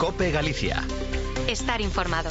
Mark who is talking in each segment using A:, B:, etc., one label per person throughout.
A: COPE Galicia.
B: Estar informado.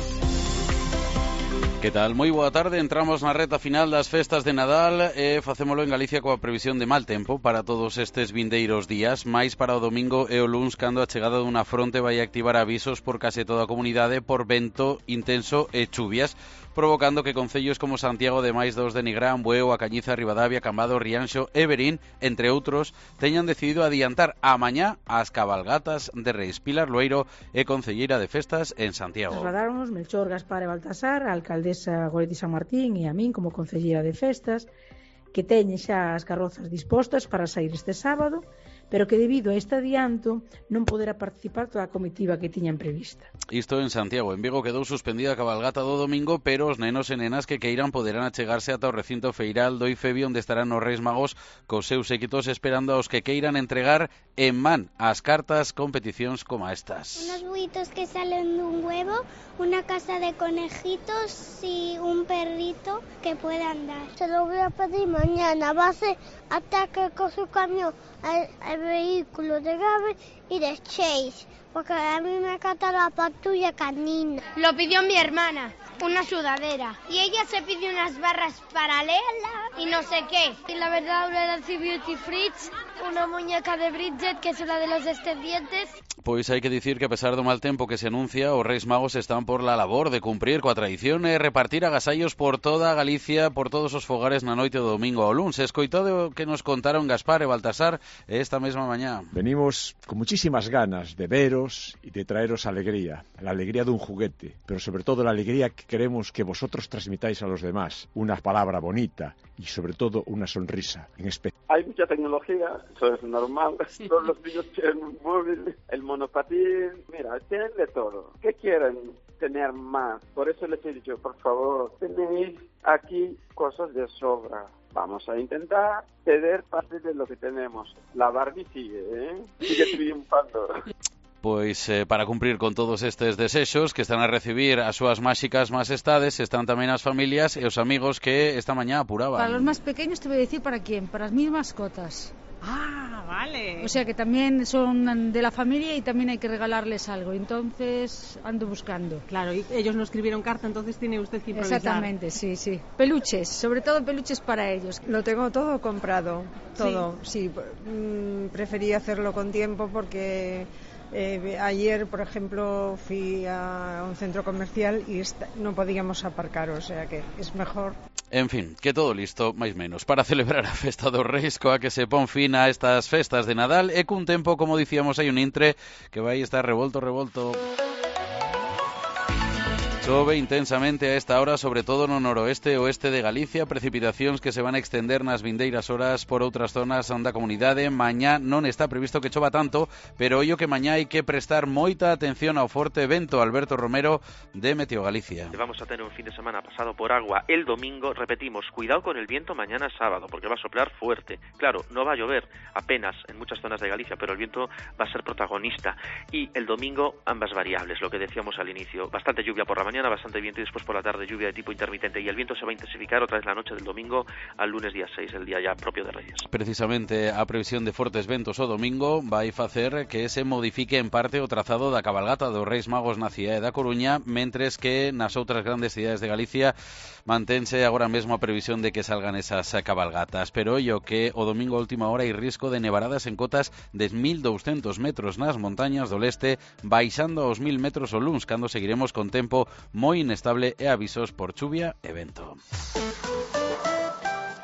C: Que tal? Moi boa tarde, entramos na reta final das festas de Nadal e facémolo en Galicia coa previsión de mal tempo para todos estes vindeiros días, máis para o domingo e o luns cando a chegada dunha fronte vai activar avisos por case toda a comunidade por vento intenso e chuvias, provocando que concellos como Santiago de máis dos de Nigrán, Bueu, A Cañiza, Ribadavia, Camado, Rianxo e Verín, entre outros, teñan decidido adiantar a mañá as cabalgatas de Reis. Pilar Loeiro é concelleira de festas en Santiago.
D: Trasladáronos Melchor, Gaspar e Baltasar, a alcaldesa Goretti San Martín e a min como concelleira de festas, que teñen xa as carrozas dispostas para sair este sábado, pero que debido a este adianto non poderá participar toda a comitiva que tiñan prevista.
C: Isto en Santiago. En Vigo quedou suspendida a cabalgata do domingo, pero os nenos e nenas que queiran poderán achegarse ata o recinto feiral do IFEBI, onde estarán os Reis Magos cos seus séquitos esperando aos que queiran entregar en man as cartas con peticións como estas.
E: Unos buitos que salen dun huevo, una casa de conejitos y un perrito que pueda andar. Se lo voy a pedir mañana, va a ser ataque con su camión al vehículo de Gabe y de Chase, porque a mí me encanta la patrulla canina.
F: Lo pidió mi hermana, una sudadera, y ella se pidió unas barras paralelas y no sé qué. Y la verdad, una Nancy Beauty Fridge, una muñeca de Bridget, que es una de los descendientes.
C: Pois hai que dicir que a pesar do mal tempo que se anuncia, os Reis Magos están por la labor de cumprir coa tradición e repartir agasallos por toda Galicia, por todos os fogares na noite do domingo ao luns. Escoitado o que nos contaron Gaspar e Baltasar esta mesma mañá.
G: Venimos con muchísimas ganas de veros y de traeros alegría, la alegría de un juguete, pero sobre todo la alegría que queremos que vosotros transmitáis a los demás, una palabra bonita y sobre todo una sonrisa en especial.
H: Hay mucha tecnología, eso es normal, todos los niños tienen un móvil, el monopatín, mira, tienen de todo. ¿Qué quieren tener más? Por eso les he dicho, por favor, tenéis aquí cosas de sobra. Vamos a intentar ceder parte de lo que tenemos. La Barbie sigue triunfando.
C: Pois para cumprir con todos estes desexos que están a recibir as súas máxicas majestades, están tamén as familias e os amigos que esta mañá apuraban.
I: Para los más pequeños te voy a decir para quién, para mis mascotas.
J: Ah, vale.
I: O sea que también son de la familia y también hay que regalarles algo. Entonces ando buscando.
J: Claro, y ellos no escribieron carta, entonces tiene usted que improvisar.
I: Exactamente, sí. Peluches, sobre todo peluches para ellos.
K: Lo tengo todo comprado, todo. Sí, preferí hacerlo con tiempo porque ayer, por ejemplo, fui a un centro comercial y no podíamos aparcar, o sea que es mejor.
C: En fin, que todo listo, máis menos, para celebrar a festa dos Reis, coa que se pon fin a estas festas de Nadal e cun tempo, como dicíamos, hai un intre que vai estar revolto. Chove intensamente a esta hora, sobre todo no noroeste e oeste de Galicia, precipitacións que se van a extender nas vindeiras horas por outras zonas da comunidade. Mañá non está previsto que chova tanto, pero ollo que mañá hai que prestar moita atención ao forte vento. Alberto Romero, de Meteo Galicia.
L: Vamos a tener un fin de semana pasado por agua el domingo, repetimos, cuidado con el viento mañana sábado, porque va a soplar fuerte. Claro, no va a llover apenas en muchas zonas de Galicia, pero el viento va a ser protagonista. Y el domingo, ambas variables, lo que decíamos al inicio, bastante lluvia por la mañana, bastante viento y después por la tarde lluvia de tipo intermitente, y el viento se va a intensificar otra vez la noche del domingo al lunes día 6, el día ya propio de Reyes.
C: Precisamente a previsión de fortes ventos o domingo vai facer que se modifique en parte o trazado da cabalgata dos Reis Magos na cidade da Coruña, mentres que nas outras grandes cidades de Galicia mantense agora mesmo a previsión de que salgan esas cabalgatas. Pero ollo que o domingo a última hora hai risco de nevaradas en cotas de 1.200 metros nas montañas do leste, baixando aos 1.000 metros o luns, cando seguiremos con tempo moi inestable e avisos por chuvia e vento.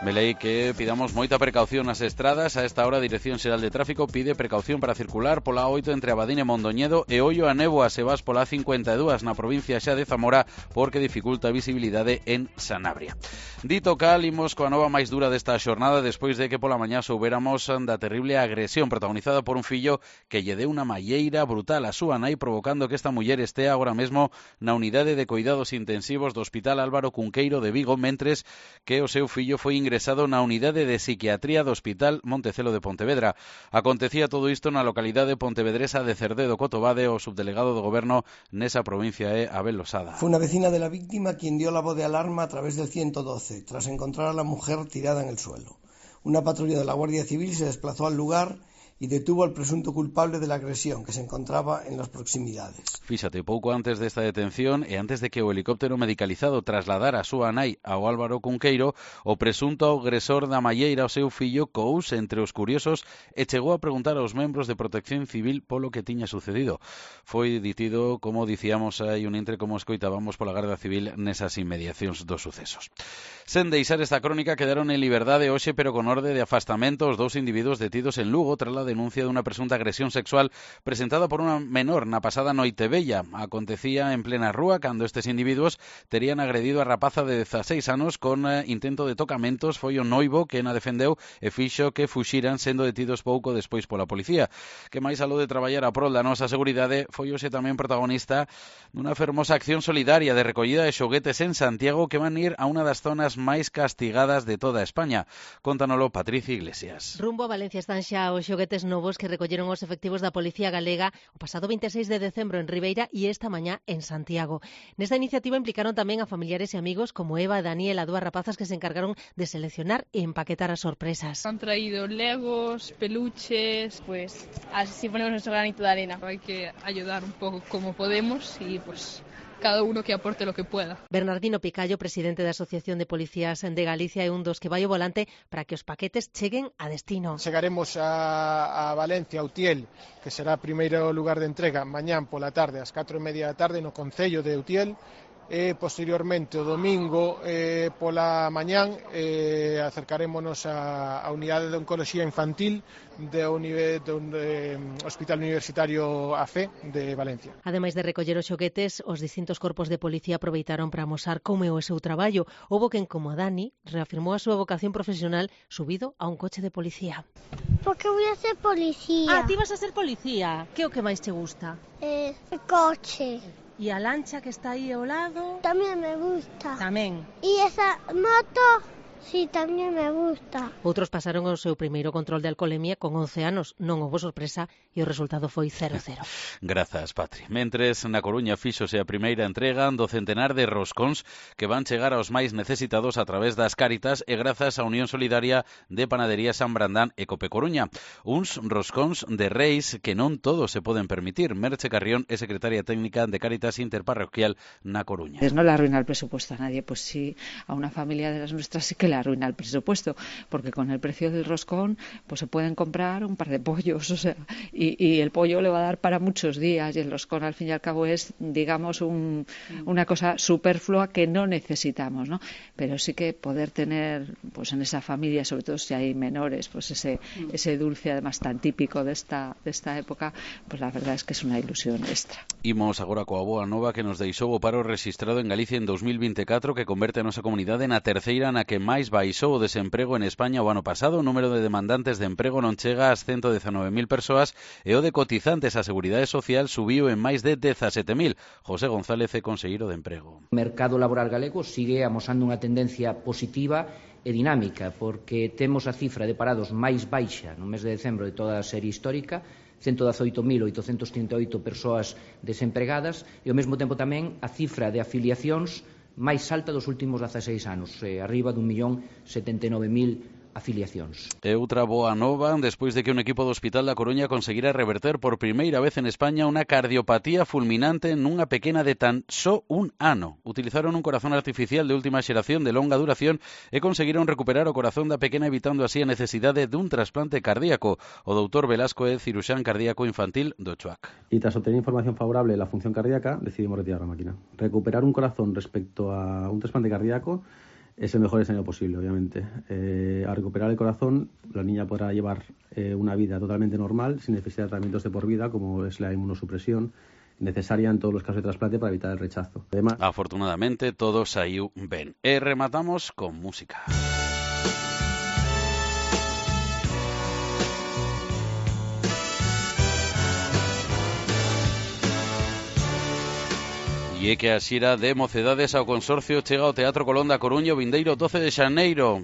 C: Velei que pidamos moita precaución nas estradas. A esta hora a Dirección Xeral de Tráfico pide precaución para circular pola A8 entre Abadín e Mondoñedo e ollo a néboa se vas pola A52 na provincia xa de Zamora porque dificulta a visibilidade en Sanabria. Dito cal, imos coa nova máis dura desta xornada despois de que pola mañá soubéramos da terrible agresión protagonizada por un fillo que lle deu unha malleira brutal a súa nai, provocando que esta muller estea agora mesmo na unidade de cuidados intensivos do Hospital Álvaro Cunqueiro de Vigo, mentres que o seu fillo foi ingresado na unidade de psiquiatría do Hospital Montecelo de Pontevedra. Acontecía todo isto na localidade pontevedresa de Cerdedo Cotobade. O subdelegado do Goberno nesa provincia é Abel Losada.
M: Fue una vecina de la víctima quien dio la voz de alarma a través del 112, tras encontrar a la mujer tirada en el suelo. Una patrulla de la Guardia Civil se desplazó al lugar y detuvo al presunto culpable de la agresión, que se encontraba en las proximidades.
C: Fíxate, pouco antes desta detención e antes de que o helicóptero medicalizado trasladara a súa nai ao Álvaro Cunqueiro, o presunto agresor da malleira ao seu fillo cous entre os curiosos e chegou a preguntar aos membros de Protección Civil polo que tiña sucedido. Foi detido, como dicíamos hai un intre, como escoitábamos, pola Garda Civil nesas inmediacións dos sucesos. Sen deixar esta crónica, quedaron en liberdade hoxe, pero con orde de afastamento, os dous individuos detidos en Lugo tras a denuncia dunha presunta agresión sexual presentada por unha menor na pasada Noitevella. Acontecía en plena rúa cando estes individuos terían agredido a rapaza de 16 anos con intento de tocamentos. Foi o noivo que na defendeu e fixo que fuxiran, sendo detidos pouco despois pola policía. Que máis aló de traballar a prol da nosa seguridade, foi hoxe tamén protagonista dunha fermosa acción solidaria de recollida de xoguetes en Santiago que van ir a unha das zonas máis castigadas de toda España. Contanolo Patricia Iglesias.
A: Rumbo a Valencia están xa os xoguetes novos que recolleron os efectivos da Policía Galega o pasado 26 de decembro en Ribeira e esta mañá en Santiago. Nesta iniciativa implicaron tamén a familiares e amigos como Eva e Daniela, dúas rapazas que se encargaron de seleccionar e empaquetar as sorpresas.
N: Han traído legos, peluches, pues así ponemos nuestro granito de arena. Hay que ayudar un poco como podemos y pues cada uno que aporte lo que pueda.
A: Bernardino Picallo, presidente da Asociación de Policías de Galicia, é un dos que vai ao volante para que os paquetes cheguen a destino.
O: Chegaremos a Valencia, a Utiel, que será o primeiro lugar de entrega mañán pola tarde, ás 4:30 da tarde, no Concello de Utiel, e posteriormente o domingo pola mañán acercarémonos á unidade de oncoloxía infantil do Hospital Universitario AFE de Valencia.
A: Ademais de recoller os xoguetes, os distintos corpos de policía aproveitaron para amosar como é o seu traballo. Houbo quen, como a Dani, reafirmou a súa vocación profesional subido a un coche de policía.
E: Porque voy a ser policía.
A: Ah, ti vas a ser policía. Que é o que máis te gusta?
E: El coche.
A: E a lancha que está aí ao lado?
E: Tamén me gusta.
A: Tamén.
E: E esa moto, sí, tamén me gusta.
A: Outros pasaron o seu primeiro control de alcoholemia con 11 anos. Non houbo sorpresa e o resultado foi 0-0.
C: Grazas, Patri. Mentres, na Coruña fíxose a primeira entrega do centenar de roscóns que van chegar aos máis necesitados a través das Cáritas e grazas á Unión Solidaria de Panadería San Brandán e Cope Coruña. Uns roscóns de reis que non todos se poden permitir. Merche Carrión é secretaria técnica de Cáritas Interparroquial na Coruña.
P: No le arruina el presupuesto a nadie, pues sí, a una familia de las nuestras sí que le arruina el presupuesto, porque con el precio del roscón pues se pueden comprar un par de pollos, o sea, y el pollo le va a dar para muchos días, y el roscón al fin y al cabo es, digamos, una cosa superflua que no necesitamos, ¿no? Pero sí que poder tener pues en esa familia, sobre todo si hay menores, pues ese dulce además tan típico de esta época, pues la verdad es que es una ilusión extra.
C: Imos agora coa boa nova que nos deixou o paro rexistrado en Galicia en 2024, que converte a nosa comunidade na terceira na que máis baixou o desemprego en España o ano pasado. O número de demandantes de emprego non chega ás 119.000 persoas e o de cotizantes á Seguridade Social subiu en máis de 17.000. José González é conselleiro de Emprego.
Q: O mercado laboral galego sigue amosando unha tendencia positiva e dinámica, porque temos a cifra de parados máis baixa no mes de decembro de toda a serie histórica, 118.838 persoas desempregadas, e ao mesmo tempo tamén a cifra de afiliacións máis alta dos últimos 16 anos, arriba de 1.079.000 afiliacións.
C: E outra boa nova, despois de que un equipo do Hospital da Coruña conseguira reverter por primeira vez en España unha cardiopatía fulminante nunha pequena de tan só un ano. Utilizaron un corazón artificial de última xeración de longa duración e conseguiron recuperar o corazón da pequena, evitando así a necesidade dun trasplante cardíaco. O doutor Velasco é ciruxán cardíaco infantil do CHUAC.
R: Y tras obtener información favorable de la función cardíaca, decidimos retirar la máquina. Recuperar un corazón respecto a un trasplante cardíaco es el mejor escenario posible, obviamente. Al recuperar el corazón, la niña podrá llevar una vida totalmente normal, sin necesidad de tratamientos de por vida, como es la inmunosupresión necesaria en todos los casos de trasplante para evitar el rechazo. Además,
C: afortunadamente, todo saiu ben. E rematamos con música. E é que a xira de Mocedades ao Consorcio chega ao Teatro Colón da Coruña o vindeiro 12 de xaneiro.